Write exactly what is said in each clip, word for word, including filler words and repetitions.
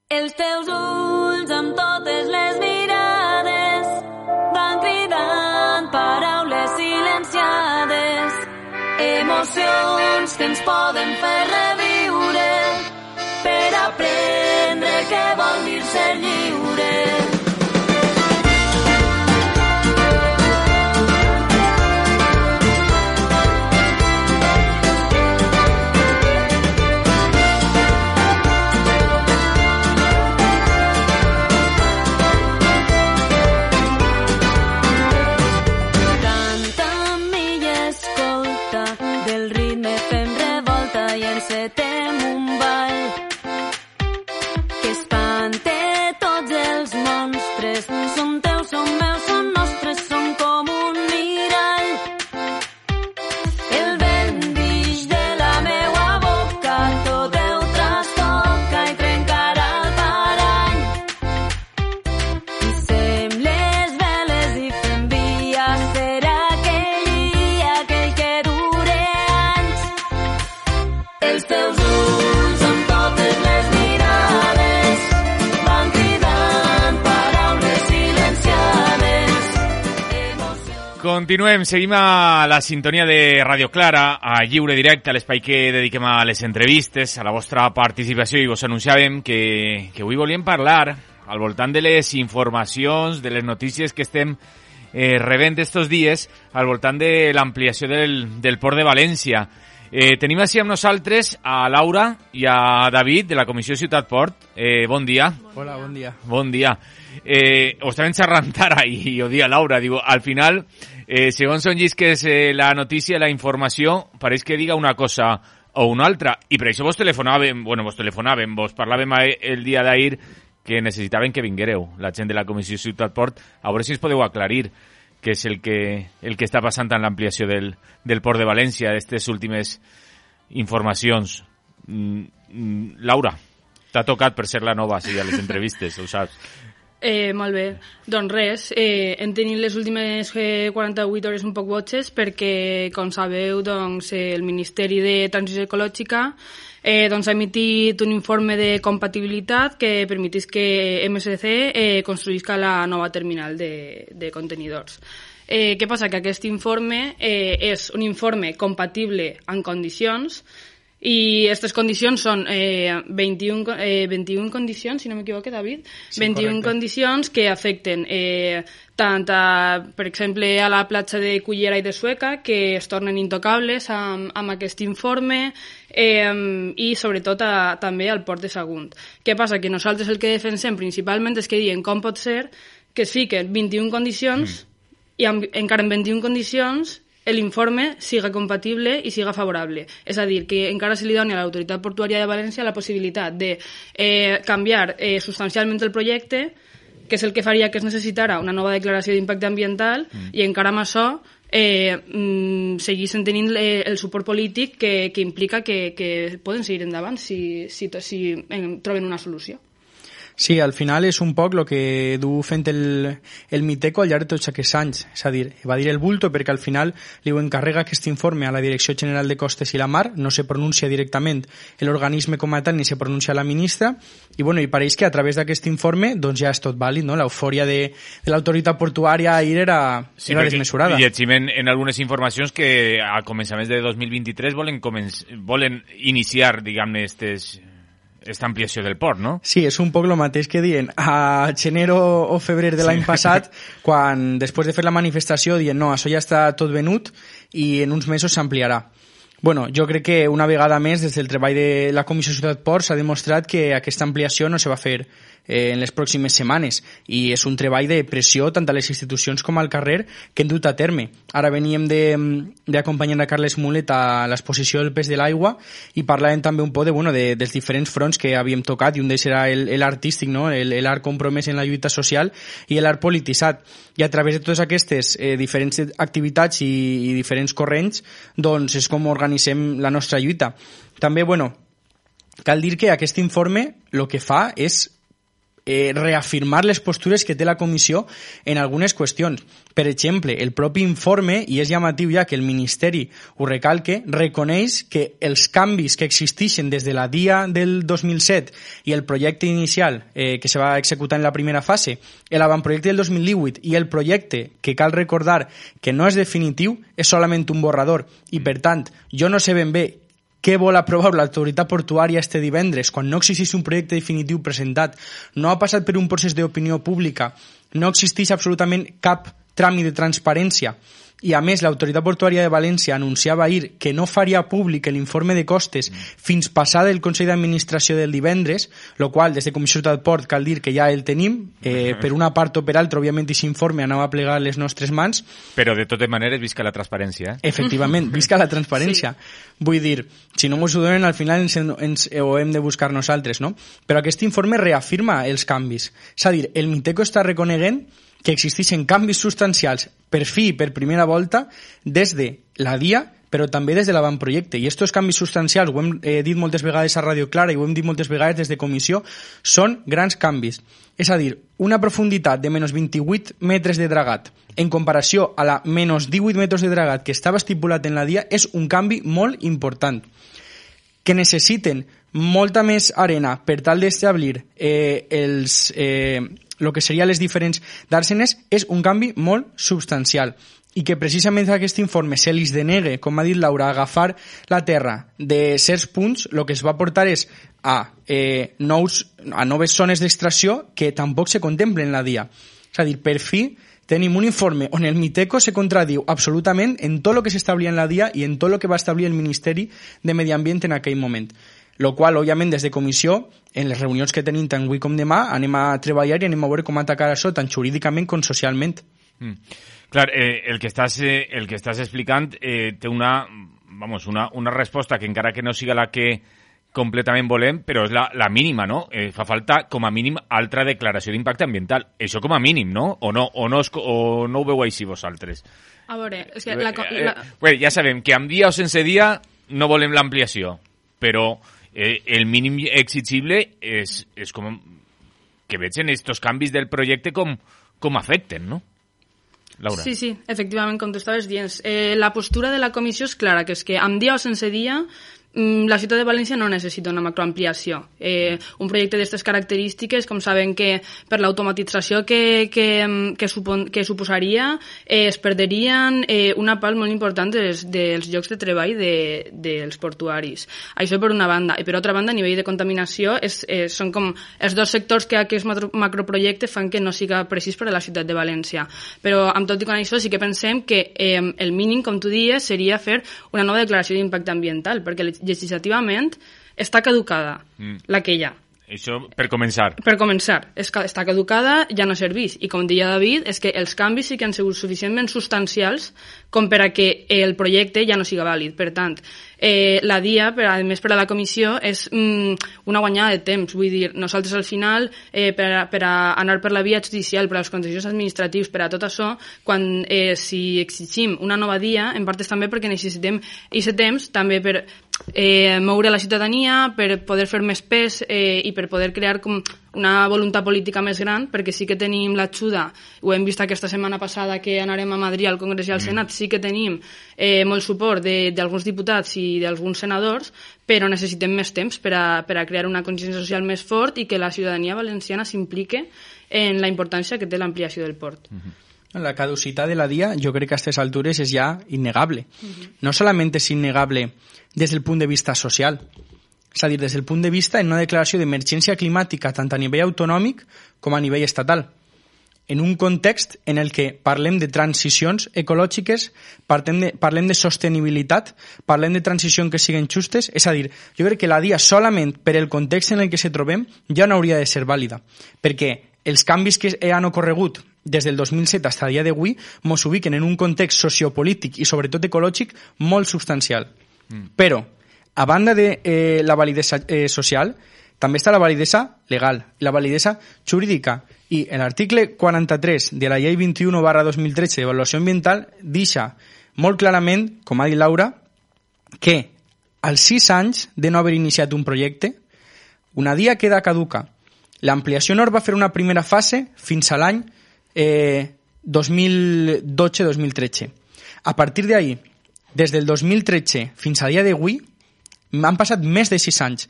Els teus ulls amb totes les mirades van cridant paraules silenciades, emocions que ens poden fer reviure per aprendre què vol dir ser lliure. Continuem, seguim a la sintonia de Radio Clara, a Lliure Directe, a l'espai que dediquem a les entrevistes, a la vostra participació, i vos anunciàvem que, que avui volíem parlar al voltant de les informacions, de les notícies que estem eh, rebent estos dies, al voltant de l'ampliació del, del Port de València. Eh, tenim així amb nosaltres a Laura i a David, de la Comissió Ciutat Port. Eh, bon dia. Hola, bon dia. Bon dia. Eh, ho estaven xerrant ara i ho dia Laura, diu, al final, eh, segons on llisques eh, la notícia, la informació, pareix que diga una cosa o una altra, i per això vos telefonàvem, bueno, vos telefonàvem, vos parlàvem el dia d'ahir que necessitaven que vinguéreu, la gent de la Comissió Ciutat Port, a veure si us podeu aclarir què és el que, el que està passant en l'ampliació del, del Port de València, d'aquestes últimes informacions. Mm, mm, Laura, t'ha tocat per ser la nova, sí, a les entrevistes, ho saps. Eh, molt bé, doncs res, eh, hem tenit les últimes eh, quaranta-vuit hores un poc botxes perquè, com sabeu, doncs, eh, el Ministeri de Transició Ecològica eh, doncs, ha emitit un informe de compatibilitat que permetís que M S C eh, construïsca la nova terminal de, de contenidors. Eh, què passa? Que aquest informe eh, és un informe compatible en condicions, i aquestes condicions són eh, vint-i-un, eh, vint-i-un condicions, si no m'equivoque, David, sí, vint-i-un correcte. Condicions que afecten eh, tant, a, per exemple, a la platja de Cullera i de Sueca, que es tornen intocables amb, amb aquest informe, eh, i sobretot a, també al port de Sagunt. Què passa? Que nosaltres el que defensem principalment és que diem com pot ser que es fiquen vint-i-un condicions mm. i amb, encara en vint-i-un condicions l'informe siga compatible i siga favorable. És a dir, que encara se li doni a l'Autoritat Portuària de València la possibilitat de eh, canviar eh, substancialment el projecte, que és el que faria que es necessitara una nova declaració d'impacte ambiental, mm. i encara amb això eh, mm, seguissin tenint eh, el suport polític que, que implica que, que poden seguir endavant si, si, si eh, troben una solució. Sí, al final és un poc el que du fent el, el Miteco al llarg de tots aquests anys. És a dir, va dir el bulto perquè al final li ho encarrega aquest informe a la Direcció General de Costes i la Mar, no se pronuncia directament l'organisme com a tal ni se pronuncia la ministra, i bueno, i pareix que a través d'aquest informe doncs ja és tot vàlid, no? L'eufòria de, de l'autoritat portuària ahir era, sí, era desmesurada. Llegim en, en algunes informacions que a començaments de dos mil vint-i-tres volen, començ, volen iniciar, diguem-ne, estes... esta ampliació del port, no? Sí, és un poc el mateix que diuen a gener o febrer de l'any sí. passat, quan després de fer la manifestació diuen no, això ja està tot venut i en uns mesos s'ampliarà. Bueno, jo crec que una vegada més des del treball de la Comissió Ciutat Port s'ha demostrat que aquesta ampliació no se va fer eh, en les pròximes setmanes, i és un treball de pressió tant a les institucions com al carrer que hem dut a terme. Ara veníem d'acompanyar a Carles Mulet a l'exposició del pes de l'aigua i parlàvem també un poc de, bueno, de, dels diferents fronts que havíem tocat, i un d'ells era l'art artístic, no? l'art compromès en la lluita social i l'art polititzat, i a través de totes aquestes eh, diferents activitats i, i diferents corrents doncs és com organitzem la nostra lluita. També, bueno, cal dir que aquest informe el que fa és eh, reafirmar les postures que té la comissió en algunes qüestions. Per exemple, el propi informe, i és llamatiu ja que el Ministeri ho recalque, reconeix que els canvis que existeixen des de la D I A del dos mil set i el projecte inicial eh, que se va executar en la primera fase, l'avantprojecte del dos mil divuit i el projecte, que cal recordar que no és definitiu, és solament un borrador. I, per tant, jo no sé ben bé què vol aprovar l'autoritat portuària este divendres, quan no existeix un projecte definitiu presentat, no ha passat per un procés d'opinió pública, no existeix absolutament cap tràmit de transparència, i a més l'autoritat portuària de València anunciava ahir que no faria públic l'informe de costes fins passar del Consell d'Administració del divendres, lo qual des de Comissió del Port cal dir que ja el tenim, eh, per una part o per altra, òbviament, aquest informe anava a plegar les nostres mans. Però de totes maneres visca la transparència, eh? Efectivament, visca la transparència. Sí. Vull dir, si no ens ho donen, al final ens, ens ho hem de buscar nosaltres, no? Però aquest informe reafirma els canvis. És a dir, el Miteco està reconeguent que existeixen canvis substancials per fi i per primera volta des de la D I A, però també des de l'avantprojecte. I aquests canvis substancials, ho hem eh, dit moltes vegades a Radio Clara i ho hem dit moltes vegades des de comissió, són grans canvis. És a dir, una profunditat de menys vint-i-vuit metres de dragat en comparació a la menys divuit metres de dragat que estava estipulat en la D I A és un canvi molt important. Que necessiten molta més arena per tal d'establir eh, els... Eh, el que seria les diferents dàrsenes és un canvi molt substancial i que precisament aquest informe se li denegue, com ha dit Laura, agafar la terra de certs punts, el que es va portar és a, eh, nous, a noves zones d'extracció que tampoc se contemplen en la D I A. És a dir, per fi tenim un informe on el Miteco se contradiu absolutament en tot el que s'establia en la D I A i en tot el que va establir el Ministeri de Medi Ambient en aquell moment. Lo qual, òbviament, des de comissió, en les reunions que tenim tant avui com demà, anem a treballar i anem a veure com atacar això, tant jurídicament com socialment. Mm. Clar, eh, el que estàs, eh, el que estàs explicant eh, té una, vamos, una, una resposta que encara que no siga la que completament volem, però és la, la mínima, no? Eh, fa falta, com a mínim, altra declaració d'impacte ambiental. Això com a mínim, no? O no, o no, es, o no ho veu així vosaltres? A veure, és que... La, la... Eh, eh, ja sabem que amb dia o sense dia no volem l'ampliació, però... Eh, el mínim exigible és, és com que veig en estos canvis del projecte com, com afecten, no? Laura. Sí, sí, efectivament, com tu estaves dient. Eh, la postura de la comissió és clara, que és que amb dia o sense dia la ciutat de València no necessita una macroampliació. Eh, un projecte d'aquestes característiques, com saben que per l'automatització que, que, que, supon, que suposaria, eh, es perderien eh, una part molt important dels, dels llocs de treball de, dels portuaris. Això per una banda. I per altra banda, a nivell de contaminació, és, eh, són com els dos sectors que aquest macroprojecte fan que no siga precís per a la ciutat de València. Però, amb tot i con això, sí que pensem que eh, el mínim, com tu dies, seria fer una nova declaració d'impacte ambiental, perquè legislativament està caducada, mm. la que hi ha. Això per començar. Per començar. És que està caducada, ja no serveix. I com deia David, és que els canvis sí que han sigut suficientment substancials com per a que el projecte ja no siga vàlid. Per tant, eh, la D I A, per, a més per a la comissió, és mm, una guanyada de temps. Vull dir, nosaltres al final, eh, per, a, per a anar per la via judicial, per als contenciosos administratius, per a tot això, quan eh, si exigim una nova D I A, en part és també perquè necessitem aquest temps també per eh, moure la ciutadania, per poder fer més pes eh, i per poder crear com una voluntat política més gran, perquè sí que tenim l'ajuda, ho hem vist aquesta setmana passada que anarem a Madrid al Congrés i al Senat, sí que tenim eh, molt suport d'alguns diputats i d'alguns senadors, però necessitem més temps per a, per a crear una consciència social més fort i que la ciutadania valenciana s'implique en la importància que té l'ampliació del port. Uh-huh. La caducitat de la D I A, jo crec que a aquestes altures és ja innegable. Uh-huh. No solament és innegable des del punt de vista social, és a dir, des del punt de vista en una declaració d'emergència climàtica tant a nivell autonòmic com a nivell estatal, en un context en el que parlem de transicions ecològiques, parlem de, parlem de sostenibilitat, parlem de transicions que siguin justes, és a dir, jo crec que la D I A solament per el context en el que se trobem ja no hauria de ser vàlida, perquè els canvis que han ocorregut des del dos mil set fins a dia d'avui mos ubiquen en un context sociopolític i sobretot ecològic molt substancial. Mm. Però, a banda de eh, la validesa eh, social, també està la validesa legal, la validesa jurídica. I l'article quaranta-tres de la llei vint-i-u barra dos mil tretze d'avaluació ambiental deixa molt clarament, com ha dit Laura, que als sis anys de no haver iniciat un projecte, una D I A queda caduca L'ampliació nord va fer una primera fase fins a l'any eh, dos mil dotze dos mil tretze. A partir d'ahí, des del dos mil tretze fins a dia d'avui, han passat més de sis anys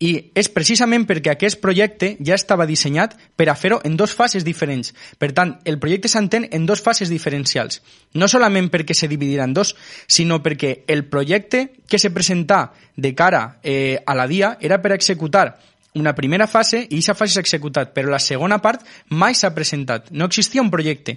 i és precisament perquè aquest projecte ja estava dissenyat per a fer-ho en dues fases diferents. Per tant, el projecte s'entén en dues fases diferencials. No solament perquè se dividirà en dos, sinó perquè el projecte que se presentà de cara eh, a la D I A era per executar una primera fase i aquesta fase s'ha executat, però la segona part mai s'ha presentat. No existia un projecte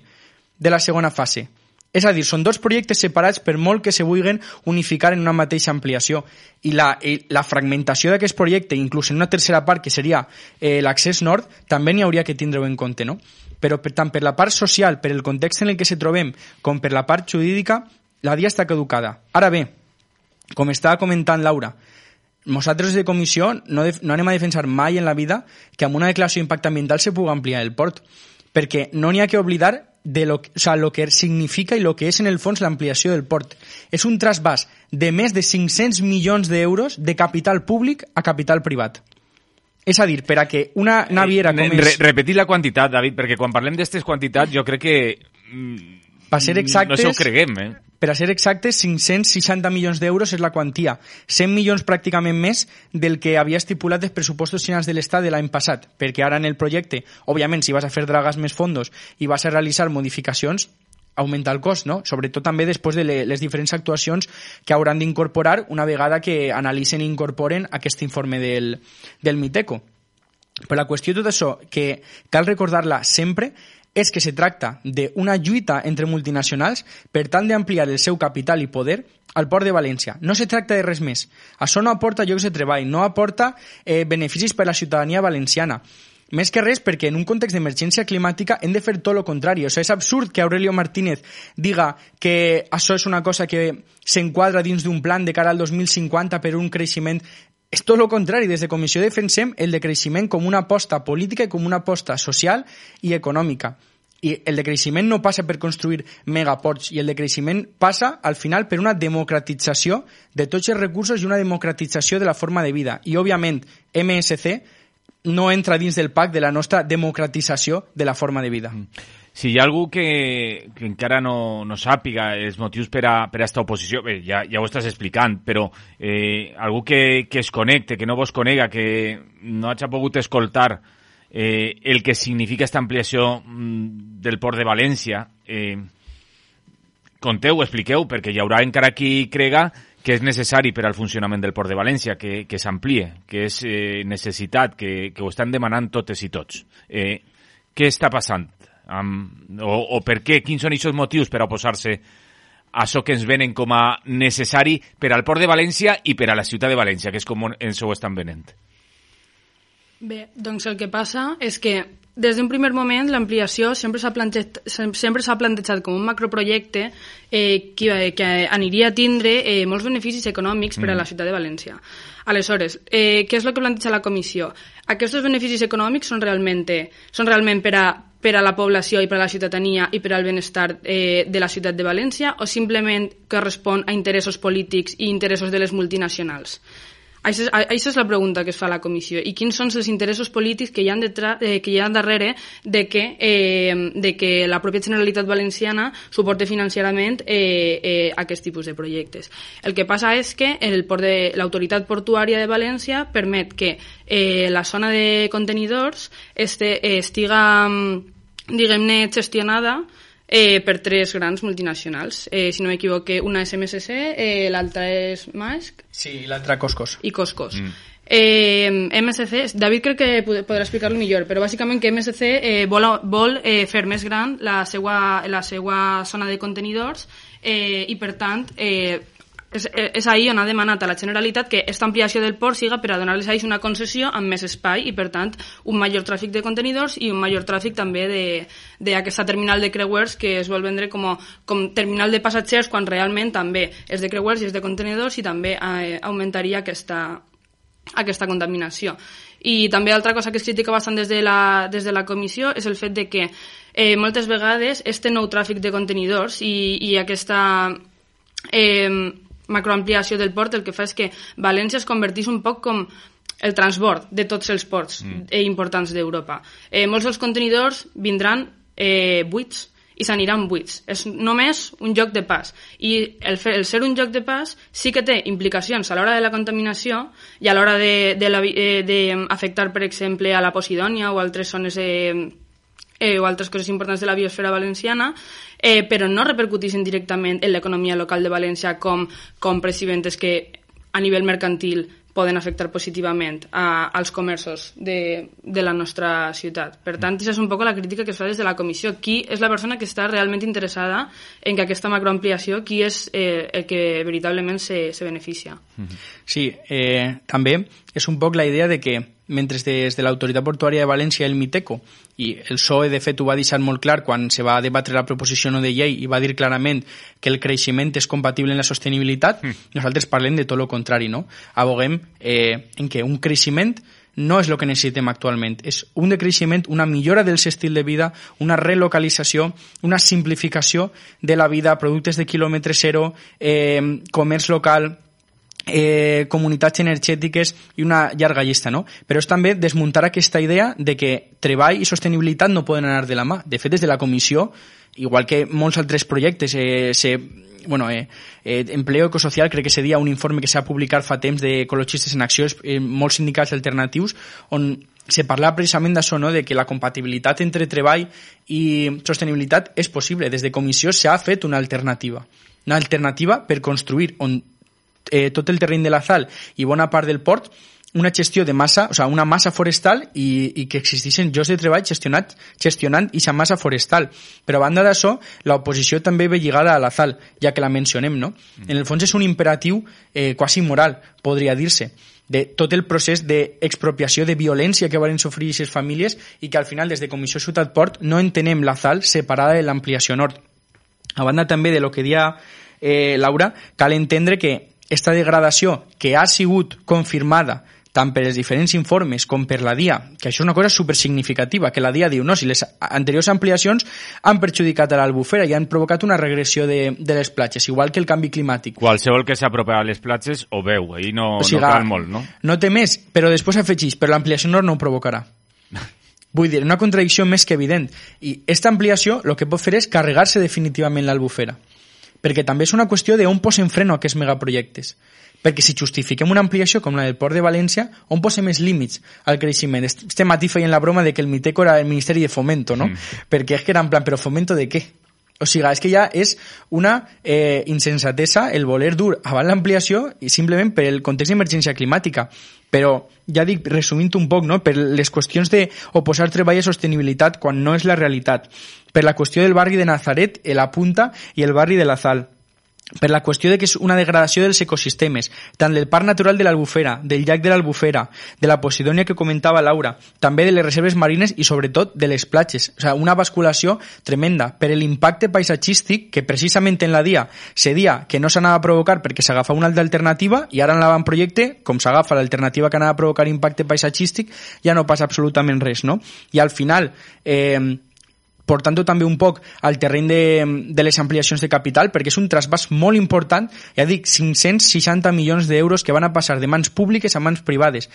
de la segona fase. És a dir, són dos projectes separats per molt que se vulguin unificar en una mateixa ampliació. I la, i la fragmentació d'aquest projecte, inclús en una tercera part, que seria eh, l'accés nord, també n'hi hauria que tindre-ho en compte, no? Però per, tant per la part social, per el context en el que se trobem, com per la part jurídica, la D I A està caducada. Ara bé, com estava comentant Laura, nosaltres de comissió no, def, no anem a defensar mai en la vida que amb una declaració d'impacte ambiental se pugui ampliar el port, perquè no n'hi ha que oblidar de lo, o sea, lo que significa i lo que és en el fons l'ampliació del port. És un trasbàs de més de cinc-cents milions d'euros de capital públic a capital privat. És a dir, per a que una naviera com és... Re repetir la quantitat, David, perquè quan parlem d'aquestes quantitats jo crec que... Per ser exactes, no se ho creguem, eh? Per a ser exactes, cinc-cents seixanta milions d'euros és la quantia. cent milions pràcticament més del que havia estipulat els pressupostos generals de l'Estat de l'any passat, perquè ara en el projecte, òbviament, si vas a fer dragas més fondos i vas a realitzar modificacions, augmenta el cost, no? Sobretot també després de les diferents actuacions que hauran d'incorporar una vegada que analitzen i incorporen aquest informe del, del Miteco. Però la qüestió de tot això, que cal recordar-la sempre, és que se tracta d'una lluita entre multinacionals per tal d'ampliar el seu capital i poder al Port de València. No se tracta de res més. Això no aporta llocs de treball, no aporta eh, beneficis per a la ciutadania valenciana. Més que res perquè en un context d'emergència climàtica hem de fer tot el contrari. O sigui, és absurd que Aurelio Martínez diga que això és una cosa que s'enquadra dins d'un plan de cara al dos mil cinquanta per un creixement. És tot el contrari. Des de Comissió defensem el decreixement com una aposta política i com una aposta social i econòmica. I el decreixement no passa per construir megaports, i el decreixement passa, al final, per una democratització de tots els recursos i una democratització de la forma de vida. I, òbviament, M S C no entra dins del pacte de la nostra democratització de la forma de vida. Si hi ha algú que, que encara no, no sàpiga els motius per a, per a esta oposició, bé, ja, ja ho estàs explicant, però eh, algú que, que es connecte, que no vos conega, que no hagi pogut escoltar eh, el que significa esta ampliació mm, del Port de València, eh, conteu, expliqueu, perquè hi haurà encara qui crega que és necessari per al funcionament del Port de València, que, que s'amplie, que és eh, necessitat, que, que ho estan demanant totes i tots. Eh, què està passant? Um, o, o per què? Quins són aquests motius per a oposar-se a això que ens venen com a necessari per al Port de València i per a la ciutat de València, que és com ens ho estan venent? Bé, doncs el que passa és que des d'un primer moment l'ampliació sempre s'ha plantejat, sempre s'ha plantejat com un macroprojecte eh, que, que aniria a tindre eh, molts beneficis econòmics per a la ciutat de València. Aleshores, eh, què és el que planteja la comissió? Aquests beneficis econòmics són realment, són realment per a per a la població i per a la ciutadania i per al benestar eh, de la ciutat de València, o simplement correspon a interessos polítics i interessos de les multinacionals? Això, això és la pregunta que es fa a la comissió. I quins són els interessos polítics que hi ha, detrás, eh, que hi ha darrere de que, eh, de que la pròpia Generalitat Valenciana suporte financerament eh, eh, aquest tipus de projectes? El que passa és que l'autoritat portuària de València permet que eh, la zona de contenidors este, eh, estiga, diguem-ne, gestionada Eh, per tres grans multinacionals. Eh, si no m'equivoque, una és M S C, eh, l'altra és Maersk. Sí, i l'altra Coscos. I Coscos. Mm. Eh, M S C, David crec que podrà explicar-lo millor, però bàsicament que M S C eh, vol, vol eh, fer més gran la seva, la seva zona de contenidors eh, i, per tant, eh, és, és ahir on ha demanat a la Generalitat que aquesta ampliació del port siga per a donar-les a ells una concessió amb més espai i, per tant, un major tràfic de contenidors i un major tràfic també d'aquesta terminal de creuers que es vol vendre com, a, com terminal de passatgers quan realment també és de creuers i és de contenidors i també eh, augmentaria aquesta, aquesta contaminació. I també altra cosa que es critica bastant des de la, des de la comissió és el fet de que eh, moltes vegades este nou tràfic de contenidors i, i aquesta eh, macroampliació del port el que fa és que València es convertís un poc com el transport de tots els ports mm. eh, importants d'Europa. Eh, molts dels contenidors vindran eh, buits i s'aniran buits. És només un joc de pas. I el, fer, el ser un joc de pas sí que té implicacions a l'hora de la contaminació i a l'hora d'afectar, per exemple, a la Posidònia o altres zones eh, eh, o altres coses importants de la biosfera valenciana, eh, però no repercuteixen directament en l'economia local de València com compres i ventes que a nivell mercantil poden afectar positivament a, als comerços de, de la nostra ciutat. Per tant, aquesta és un poc la crítica que es fa des de la comissió. Qui és la persona que està realment interessada en que aquesta macroampliació, qui és eh, el que veritablement se, se beneficia? Sí, eh, també és un poc la idea de que mentre des de l'Autoritat Portuària de València el Miteco, i el P S O E de fet ho va deixar molt clar quan se va debatre la proposició no de llei i va dir clarament que el creixement és compatible amb la sostenibilitat, mm. nosaltres parlem de tot el contrari, no? Aboguem eh, en que un creixement no és el que necessitem actualment, és un decreixement, una millora del estil de vida, una relocalització, una simplificació de la vida, productes de quilòmetre zero, eh, comerç local, Eh, comunitats energètiques i una llarga llista, no? Però és també desmuntar aquesta idea de que treball i sostenibilitat no poden anar de la mà. De fet, des de la comissió, igual que molts altres projectes, eh, se, bueno, eh, eh, Empleo Ecosocial, crec que seria un informe que s'ha publicat fa temps d'ecologistes en acció, eh, molts sindicats alternatius, on se parla precisament d'això, no? De que la compatibilitat entre treball i sostenibilitat és possible. Des de comissió s'ha fet una alternativa. Una alternativa per construir on Eh, tot el terreny de la Sal i bona part del port, una gestió de massa, o sigui, una massa forestal i, i que existeixen llocs de treball gestionat, gestionant aquesta massa forestal. Però a banda d'això, l'oposició també ve lligada a la Sal, ja que la mencionem, no? En el fons és un imperatiu eh, quasi moral, podria dir-se, de tot el procés d'expropiació, de violència que van sofrir aquestes famílies i que al final, des de Comissió Ciutat Port, no entenem la Sal separada de l'ampliació nord. A banda també de lo que dia eh, Laura, cal entendre que esta degradació que ha sigut confirmada tant per els diferents informes com per la D I A, que això és una cosa supersignificativa, que la D I A diu no, si les anteriors ampliacions han perjudicat a l'Albufera i han provocat una regressió de, de les platges, igual que el canvi climàtic. Qualsevol que s'apropa a les platges ho veu, ahir no, o sigui, no cal molt, no? No té més, però després afegeix, però l'ampliació nord no ho provocarà. Vull dir, una contradicció més que evident. I aquesta ampliació el que pot fer és carregar-se definitivament l'Albufera. Perquè també és una qüestió d'on posem freno a aquests megaprojectes. Perquè si justifiquem una ampliació com la del Port de València, on posem els límits al creixement? Este matí feien la broma de que el Miteco era el Ministeri de Fomento, no? Mm. Perquè és que era en plan, però fomento de què? O sigui, és que ja és una eh, insensatesa el voler dur avant l'ampliació i simplement per el context d'emergència climàtica. Però, ja dic, resumint un poc, no? Per les qüestions d'oposar treball a sostenibilitat quan no és la realitat. Per la qüestió del barri de Nazaret, la Punta i el barri de la Sal. Per la qüestió de que és una degradació dels ecosistemes, tant del Parc Natural de l'Albufera, del llac de l'Albufera, de la Posidònia que comentava Laura, també de les reserves marines i sobretot de les platges. O sigui, una basculació tremenda per l'impacte paisatgístic que precisament en la D I A se dia que no s'anava a provocar perquè s'agafa una altra alternativa i ara en l'avantprojecte, com s'agafa l'alternativa que anava a provocar impacte paisatgístic, ja no passa absolutament res, no? I al final... Eh, portant també un poc al terreny de, de les ampliacions de capital, perquè és un trasbàs molt important, ja dic, cinc-cents seixanta milions d'euros que van a passar de mans públiques a mans privades.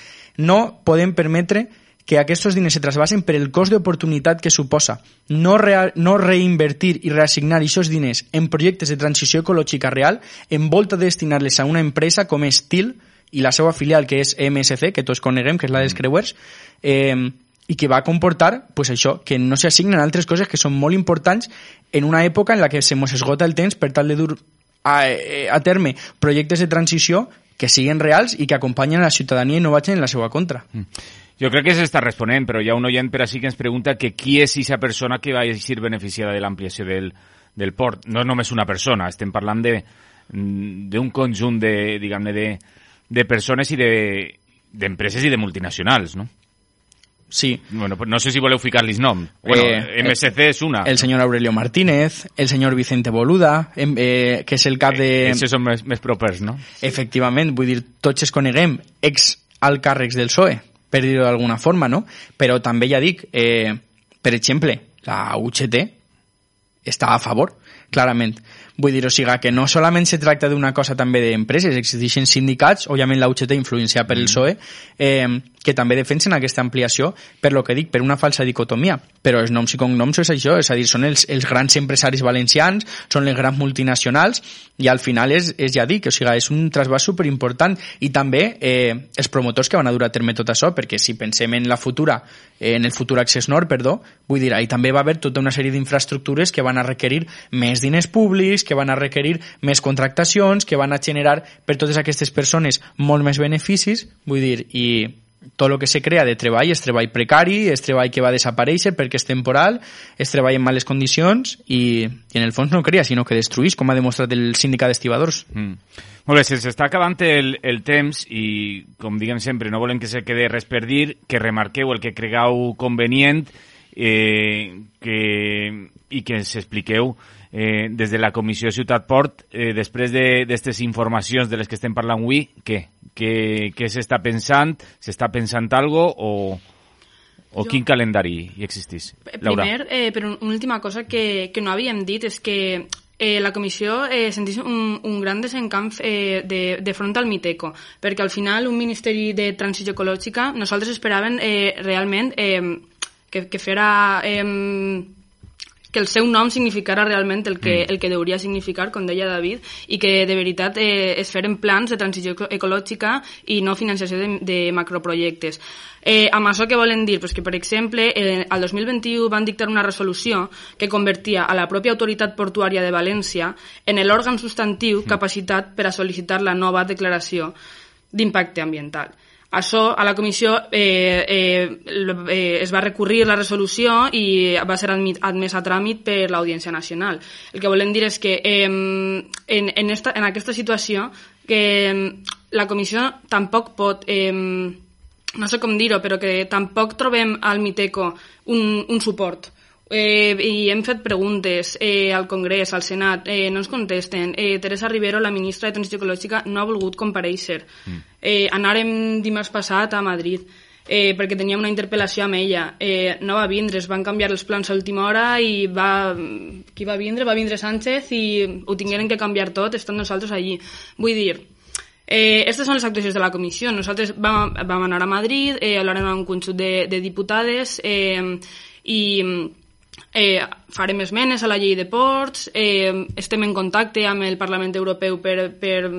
No podem permetre que aquests diners se trasbasen per el cost d'oportunitat que suposa. No, real, no reinvertir i reassignar aquests diners en projectes de transició ecològica real en volta de destinar-les a una empresa com és T I L i la seva filial, que és E M S C, que tots coneguem, que és la dels creuers, eh, i que va comportar pues això, que no s'assignen altres coses que són molt importants en una època en la que se mos esgota el temps per tal de dur a, a terme projectes de transició que siguin reals i que acompanyen a la ciutadania i no vagin en la seva contra. Jo crec que s'està responent, però hi ha un oient per així que ens pregunta que qui és aquesta persona que va ser beneficiada de l'ampliació del, del port. No és només una persona, estem parlant de d'un conjunt de, diguem-ne, de, de persones i de d'empreses i de multinacionals, no? Sí. Bueno, pues no sé si voleu ficar-los nom. Bueno, eh, M S C és una. El senyor Aurelio Martínez, el senyor Vicente Boluda, eh, que és el cap de... Eh, Aquests són més, més propers, no? Efectivament, vull dir, tots es coneguem ex-alcàrrecs del P S O E, per dir-ho d'alguna forma, no? Però també ja dic, eh, per exemple, la U G T està a favor, clarament. Vull dir, o sigui, que no solament se tracta d'una cosa també d'empreses, existeixen sindicats, òbviament la U G T influenciada per el P S O E, eh, que també defensen aquesta ampliació per lo que dic, per una falsa dicotomia. Però els noms i cognoms és això, és a dir, són els, els grans empresaris valencians, són les grans multinacionals, i al final és, és ja dic, o sigui, és un trasbàs superimportant. I també eh, els promotors que van a dur a terme tot això, perquè si pensem en la futura, eh, en el futur Access Nord, perdó, vull dir, ahí també va haver tota una sèrie d'infraestructures que van a requerir més diners públics, que van a requerir més contractacions, que van a generar per totes aquestes persones molt més beneficis, vull dir, i tot el que se crea de treball és treball precari, és treball que va desaparèixer perquè és temporal, és treball en males condicions i, i en el fons no crea, sinó que destruïs, com ha demostrat el sindicat d'estibadors. Mm. Molt bé, se'ns està acabant el, el temps i, com diguem sempre, no volem que se quede res per dir, que remarqueu el que cregueu convenient eh, que, i que ens expliqueu eh, des de la Comissió Ciutat Port, eh, després d'aquestes de, informacions de les que estem parlant avui, què? Què, què s'està pensant? S'està pensant algo o, o jo... quin calendari hi existís? Laura. Primer, eh, però una última cosa que, que no havíem dit és que eh, la comissió eh, sentís un, un gran desencamp eh, de, de front al Miteco, perquè al final un Ministeri de Transició Ecològica nosaltres esperàvem eh, realment eh, que, que fera... Eh, que el seu nom significara realment el que, el que hauria significar, com deia David, i que de veritat eh, es feren plans de transició ecològica i no financiació de, de macroprojectes. Eh, amb això què volen dir? Pues que, per exemple, eh, al dos mil vint-i-u van dictar una resolució que convertia a la pròpia autoritat portuària de València en l'òrgan substantiu capacitat per a sol·licitar la nova declaració d'impacte ambiental. Això, a la comissió eh, eh, eh, es va recurrir la resolució i va ser admit, admès a tràmit per l'Audiència Nacional. El que volem dir és que eh, en, en, esta, en aquesta situació que la comissió tampoc pot, eh, no sé com dir-ho, però que tampoc trobem al Miteco un, un suport. Eh, i hem fet preguntes eh, al Congrés, al Senat, eh, no ens contesten. Eh, Teresa Rivero, la ministra de Transició Ecològica, no ha volgut comparèixer. Mm. Eh, anàrem dimarts passat a Madrid eh, perquè teníem una interpel·lació amb ella. Eh, no va vindre, es van canviar els plans a última hora i va... Qui va vindre? Va vindre Sánchez i ho tingueren que canviar tot, estant nosaltres allí. Vull dir... Eh, aquestes són les actuacions de la comissió. Nosaltres vam, vam anar a Madrid, eh, hablarem amb un conjunt de, de diputades eh, i... Eh, farem esmenes a la llei de ports, eh, estem en contacte amb el Parlament Europeu per, per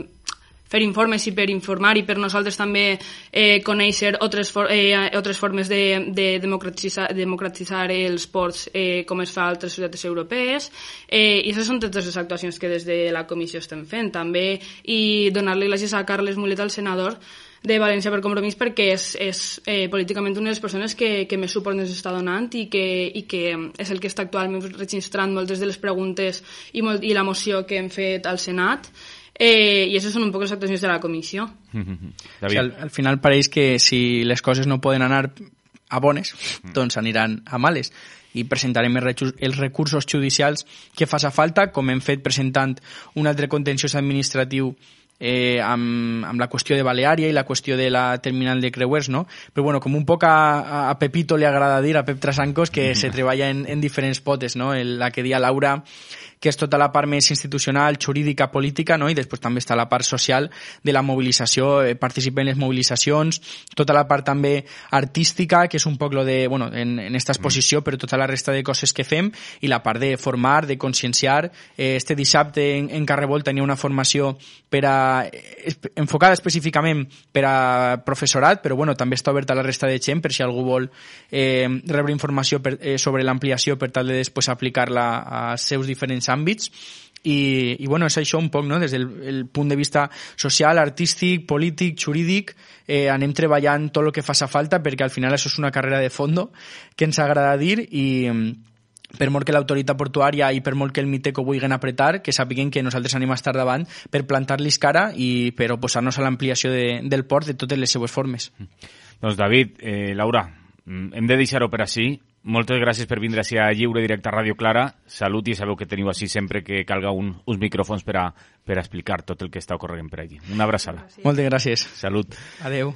fer informes i per informar i per nosaltres també eh, conèixer altres, for, eh, altres formes de, de democratitzar, democratitzar els ports eh, com es fa a altres societats europees eh, i aquestes són totes les actuacions que des de la comissió estem fent també i donar-li gràcies a Carles Mulet, al senador de València per Compromís, perquè és, és eh, políticament una de les persones que, que més suport ens està donant i que, i que és el que està actualment registrant moltes de les preguntes i, molt, i la moció que hem fet al Senat. Eh, I aquestes són un poc les actuacions de la comissió. Mm-hmm. O sigui, al, al final pareix que si les coses no poden anar a bones, mm. doncs aniran a males. I presentarem els recursos judicials que faça falta, com hem fet presentant un altre contenciós administratiu eh, amb, amb la qüestió de Baleària i la qüestió de la terminal de creuers, no? Però bueno, com un poc a, a Pepito li agrada dir, a Pep Trasancos, que se treballa en, en diferents potes, no? El, la que dia Laura, que és tota la part més institucional, jurídica, política, no? I després també està la part social de la mobilització, eh, participa en les mobilitzacions, tota la part també artística, que és un poc lo de, bueno, en, en esta exposició, però tota la resta de coses que fem, i la part de formar, de conscienciar. Eh, este dissabte en, en Carrebol tenia una formació per a, enfocada específicament per a professorat, però bueno, també està oberta a la resta de gent, per si algú vol eh, rebre informació per, eh, sobre l'ampliació per tal de després aplicar-la als seus diferents àmbits. I, i bueno, és això un poc, no? Des del el punt de vista social, artístic, polític, jurídic, eh, anem treballant tot el que faça falta, perquè al final això és una carrera de fondo que ens agrada dir, i per molt que l'autoritat portuària i per molt que el Miteco vulguin apretar, que sàpiguen que nosaltres anem a estar davant per plantar-los cara i per oposar-nos a l'ampliació de, del port de totes les seues formes. Doncs David, eh, Laura, hem de deixar-ho per així. Moltes gràcies per vindre així a Lliure Directe a Ràdio Clara. Salut, i sabeu que teniu així sempre que calga un, uns micròfons per a, per a explicar tot el que està ocorrent per allí. Una abraçada. Gràcies. Moltes gràcies. Salut. Adeu.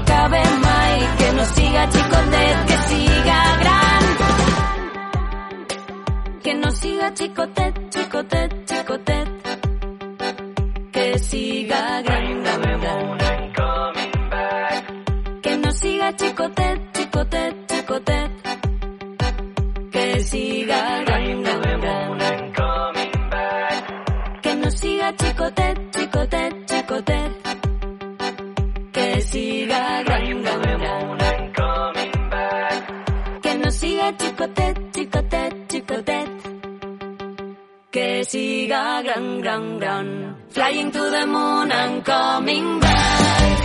acabe mai, que no siga xicotet, que siga gran. Que no siga xicotet, xicotet, xicotet, que siga gran, gran, gran. Que no siga xicotet, xicotet, xicotet, que siga gran, gran, gran. Que no siga xicotet, xicotet, xicotet, que siga gran, gran, gran. Que no siga xicotet, xicotet, xicotet, que siga gran, gran, gran. Flying to the moon and coming back.